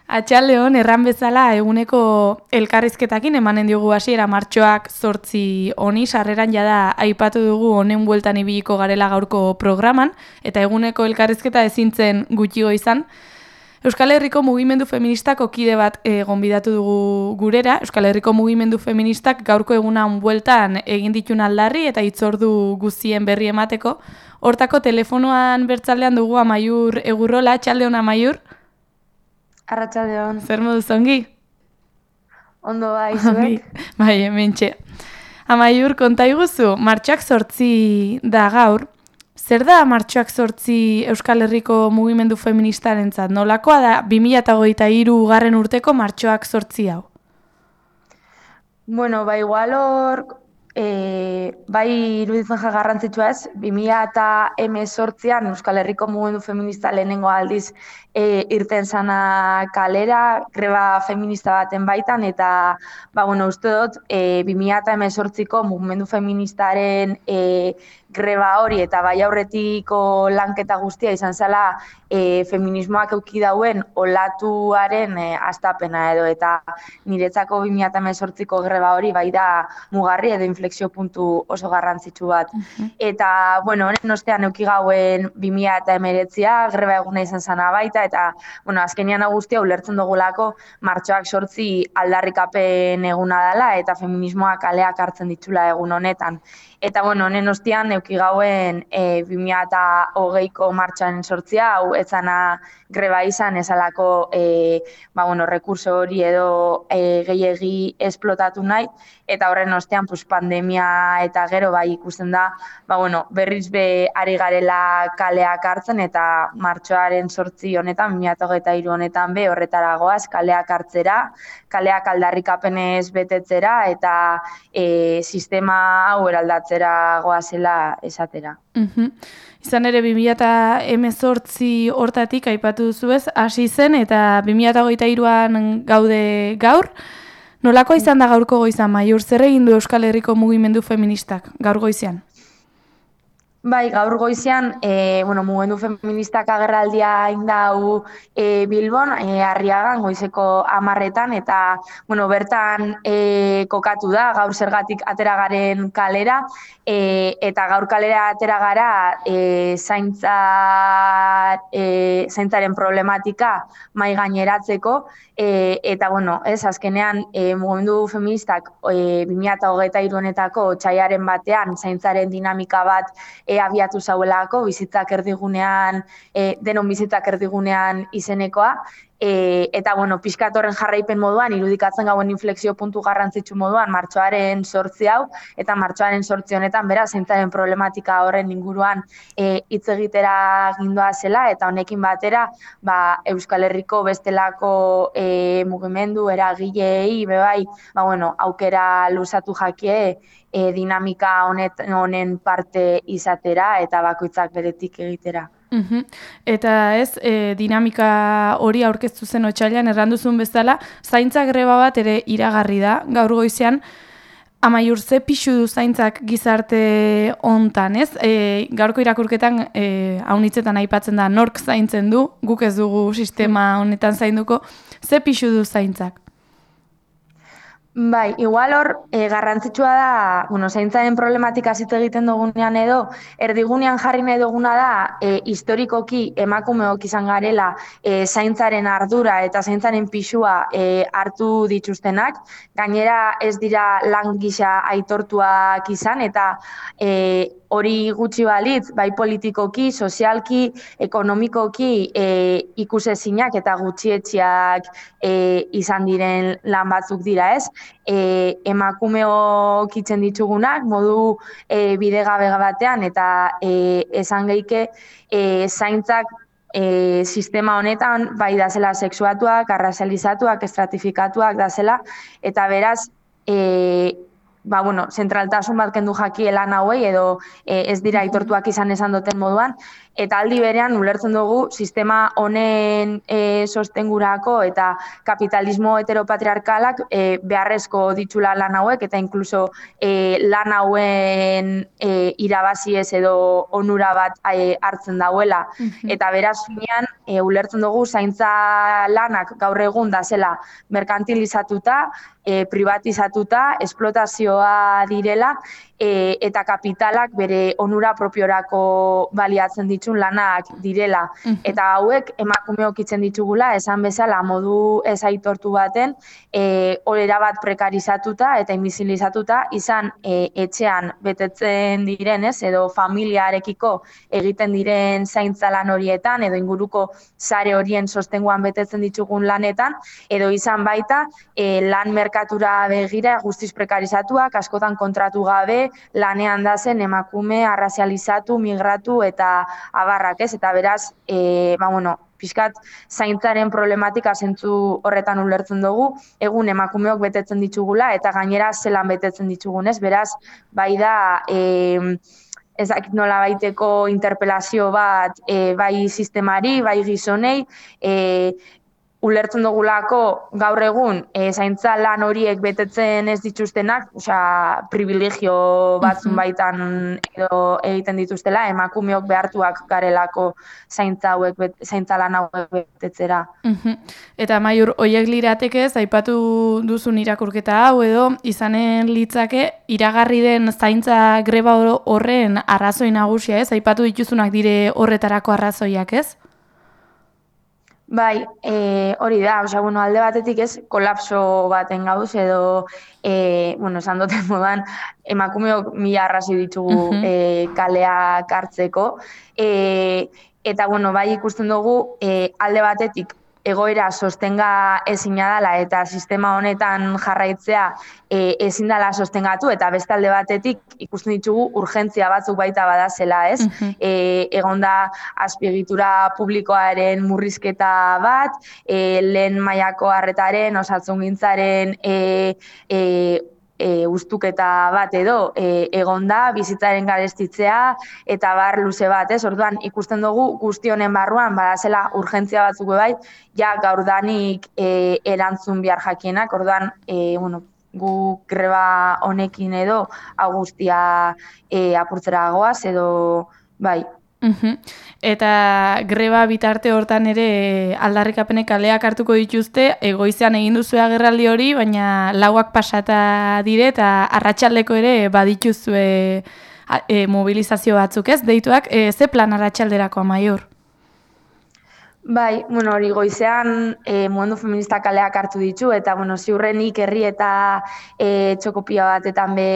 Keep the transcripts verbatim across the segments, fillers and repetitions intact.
Atxaldeon, erran bezala eguneko elkarrizketakin emanen diogu hasiera martxoak zortzi honi, sarreran jada aipatu dugu honen bueltan ibiliko garela gaurko programan, eta eguneko elkarrizketa ezintzen gutxigo izan. Euskal Herriko mugimendu feministako kide bat e, gonbidatu dugu gurera. Euskal Herriko mugimendu feministak gaurko egunan bueltan egin ditun aldarri eta hitzordu guztien berri emateko. Hortako telefonoan bertzaldean dugu Amaiur Egurrola. Atxaldeon, Amaiur. Arratsaldeon. Zer moduz ongi? Ondo bai, zuek? Bai, hementxe. Amaiur, konta iguzu, martxoak zortzi da gaur. Zer da martxoak zortzi Euskal Herriko mugimendu feministarentzat? Nolakoa da bi mila hogeita hiru garren urteko martxoak zortzi hau? Bueno, ba igual hor, e, bai iruditzen ja garrantzitsua ez, bi mila hemezortzian Euskal Herriko mugimendu feminista lehenengo aldiz e, irten zana kalera, greba feminista baten baitan, eta ba, bueno, uste dut e, bi mila hemezortziko mugimendu feministaren e, greba hori eta bai aurretiko lanketa guztia izan zela e, feminismoak euki dauen olatuaren e, astapena edo, eta niretzako bi mila hemezortziko greba hori bai da mugarri edo inflexio puntu oso garrantzitsu bat. Uh-huh. Eta, bueno, honen ostean euki gauen bi mila hemeretzia greba eguna izan zana baita, eta, bueno, azkenian guztia ulertzen dugulako martxoak zortzi aldarrikapen eguna dela eta feminismoak kaleak hartzen ditula egun honetan. Eta, bueno, honen ostean euki gauen e, bi mila hogeiko martxoaren sortzia, hau etzana greba izan ezalako e, ba, bueno, rekurso hori edo e, gehiegi esplotatu nahi, eta horren ostean pues, pandemia eta gero bai ikusten da, ba, bueno, berriz be ari garela kaleak hartzen, eta martxoaren sortzi honetan, bi mila hogeita hiru honetan be horretara goaz, kaleak hartzera, kaleak aldarrikapenez betetzera, eta e, sistema hau eraldatzera goazela esatera. Uh-huh. Izan ere, bi mila hemezortzi hortatik aipatu duzuez, hasi zen, eta bi mila hogeita hiruan gaude gaur. Nolako izan da gaurko goizan, Amaiur? Zer egin du Euskal Herriko mugimendu feministak gaur goizean? Bai, gaur goizean, e, bueno, mugimendu feministak agerraldia indau e, Bilbon, e, Arriagan, goizeko hamarretan, eta, bueno, bertan e, kokatu da, gaur zergatik atera garen kalera, e, eta gaur kalera atera gara e, zaintza, e, zaintzaren problematika mai gaineratzeko, e, eta, bueno, ez, azkenean, e, mugimendu feministak e, bi mila hogeita hiru honetako otsaiaren batean zaintzaren dinamika bat e, abiatu zauelako, bizitzak erdigunean, e, denon bizitzak erdigunean izenekoa, e, eta, bueno, pixkat horren jarraipen moduan, irudikatzen gauen inflexio puntu garrantzitsu moduan, martxoaren sortzi hau, eta martxoaren sortzi honetan, beraz, zaintzaren problematika horren inguruan e, hitz egitera gindoa zela, eta honekin batera, ba, Euskal Herriko bestelako e, mugimendu, eragileei, bebai, ba, bueno, aukera luzatu jakie, E, dinamika honet, honen parte izatera eta bakoitzak beretik egitera. Uhum. Eta ez, e, dinamika hori aurkeztu zen otsailean erranduzun bezala, zaintza greba bat ere iragarri da, gaur goizean. Amaiur, ze pixu du zaintzak gizarte hontan, ez? E, gaurko irakurketan e, haunitzetan aipatzen da nork zaintzen du, guk ez dugu sistema honetan zainduko, ze pixu du zaintzak? Bai, igual hor, e, garrantzitsua da, bueno, zaintzaren problematika zit egiten dugunean edo, erdigunean jarri nahi duguna da, e, historikoki emakumeok izan garela e, zaintzaren ardura eta zaintzaren pixua e, hartu dituztenak, gainera ez dira lan gisa aitortuak izan, eta e, hori gutxi balitz, bai politikoki, sozialki, ekonomikoki e, ikusezinak eta gutxietxiak e, izan diren lan batzuk dira, ez? E, emakumeok itzen ditugunak, modu e, bidegabe batean, eta e, esan geike e, zaintzak e, sistema honetan bai da zela sexuatuak, arrazializatuak, estratifikatuak da zela, eta beraz, e, ba, bueno, zentraltasun bat kendu jakie lan hauei, edo e, ez dira aitortuak izan esan duten moduan, eta aldi berean ulertzen dugu sistema honen e, sostengurako eta kapitalismo heteropatriarkalak e, beharrezko ditula lan hauek, eta inkluso e, lan hauen e, irabaziez edo onura bat e, hartzen dauela. Mhm. Eta beraz, finean, e, ulertzen dugu zaintza lanak gaur egun da zela merkantilizatuta, e, privatizatuta, esplotazioa direla, e, eta kapitalak bere onura propiorako baliatzen ditun lanak direla. Mhm. Eta hauek emakumeok itzen ditugula, esan bezala modu ez aitortu baten, e, orera bat prekarizatuta eta invisibilizatuta, izan e, etxean betetzen direnez, edo familiarekiko egiten diren zaintza lan horietan, edo inguruko sare horien sostenguan betetzen ditugun lanetan, edo izan baita e, lan merkatura begira guztiz prekarizatuak, askotan kontratu gabe, lanean da zen emakume arrazializatu, migratu eta abarrak, ez? Eta beraz, e, ba, bueno, pixkat zaintzaren problematika zentzu horretan ulertzen dugu, egun emakumeok betetzen ditugula eta gainera zelan betetzen ditugunez, beraz, bai da, e, ez dakit nola baiteko interpelazio bat e, bai sistemari, bai gizonei, e, ulertzen dugulako gaur egun e, zaintza lan horiek betetzen ez dituztenak, osea, privilegio batzun baitan edo egiten dituztela, emakumeok behartuak garelako zaintza hauek bet, zaintza lan hauek betetzera. Mhm. Eta Maiur, hoiek liratekez, aipatu duzun irakurketa hau edo izanen litzake iragarri den zaintza greba horren arrazoi nagusia, ez? Aipatu dituzunak dire horretarako arrazoiak, ez? Bai, e, hori da, osea, bueno, alde batetik ez, kolapso baten gauz, edo, e, bueno, esan duten modan, emakumeok mila arrazoi ditugu Mhm. e, kaleak hartzeko, e, eta, bueno, bai ikusten dugu, e, alde batetik, egoera sostenga ezina dela eta sistema honetan jarraitzea e, ezin dela sostengatu, eta beste alde batetik ikusten ditugu urgentzia batzuk baita badazela, ez? Mhm. E, egon da azpiegitura publikoaren murrizketa bat, e, lehen mailako arretaren, osasungintzaren e, e, E, ustuketa bat edo e, egon da, bizitzaren garestitzea eta bar luze bat, ez? Orduan, ikusten dugu guzti honen barruan, badazela urgentzia batzuk bai, ja gaurdanik e, erantzun behar jakienak, orduan, e, bueno, gu greba honekin edo agustia e, apurtzera goaz edo, bai. Mhm. Eta greba bitarte hortan ere aldarrikapenek kaleak hartuko dituzte, egoizean egin duzu agerraldi hori, baina lauak pasata dire eta arratsaldeko ere badituzue e, mobilizazio batzuk, ez? Deituak, e, ze plan arratsalderako Amaiur? Bai, bueno, hori goizean e, mugimendu feminista kaleak hartu ditu, eta, bueno, ziurrenik herri eta e, txokopia batetan be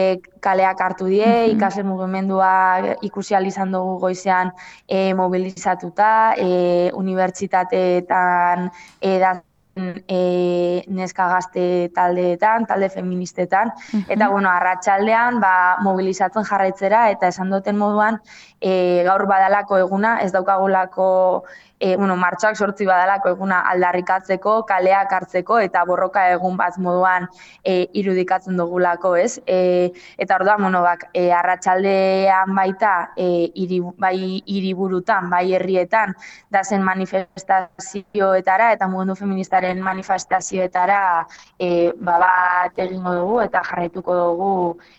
kaleak hartu die, Mhm. ikasle mugimendua ikusi ahal izan dugu goizean e, mobilizatuta, e, unibertsitateetan e, da E, neska gazte taldeetan, talde feministetan, eta bueno, arratsaldean ba, mobilizatzen jarraitzera, eta esan duten moduan e, gaur badalako eguna, ez daukagulako e, bueno, martxoak sortzi badalako eguna aldarrikatzeko, kaleak hartzeko, eta borroka egun bat moduan e, irudikatzen dugulako, ez? E, eta orduan, bueno, bak, e, arratsaldean baita, e, iri, bai hiriburutan, bai herrietan, da zen manifestazioetara, eta mugimendu feministaren manifestazioetara e, bat egingo dugu eta jarraituko dugu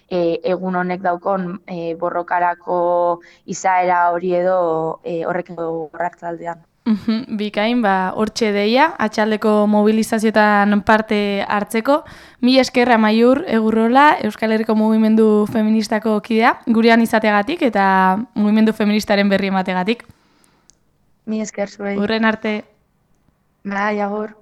e, egun honek daukon e, borrokarako izaera hori edo e, horrekin dugu arratsaldean. Mhm, bikain, ba, hortxe deia, atxaldeko mobilizazioetan parte hartzeko. Mila eskerra Amaiur Egurrola, Euskal Herriko Mugimendu Feministako kidea, gurean izateagatik eta mugimendu feministaren berri emategatik. Mila esker zuei. Urren arte. Bai, agur.